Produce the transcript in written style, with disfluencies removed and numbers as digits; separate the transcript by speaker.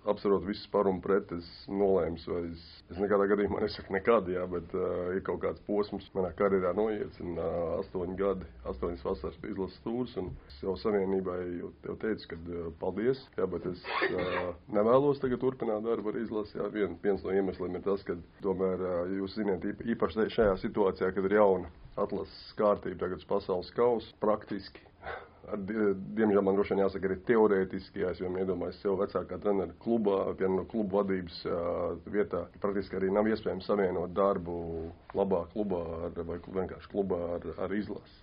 Speaker 1: apsverot visus par un pret, es nolēmu, vai es nekādā gadījumā nesaku nekad, jā, bet ir kaut kāds posms manā karjerā noiets, un 8 gadi, 8 vasaras izlases tūrs, un es jau savienībai jau teicu, ka paldies, jā, bet es nevēlos tagad turpināt darbu ar izlasi, jā, viens no iemesliem ir tas, ka tomēr jūs ziniet, īpaši šajā situācijā, kad ir jauna atlases kārtība, tagad pasaules kausa, praktiski. Diemžēl man droši vien jāsaka arī teorētiski, ja es jau iedomājos sev vecākā trenera klubā, viena no klubu vadības vietā, praktiski arī nav iespējams savienot darbu labā klubā vai vienkārši klubā ar izlasi.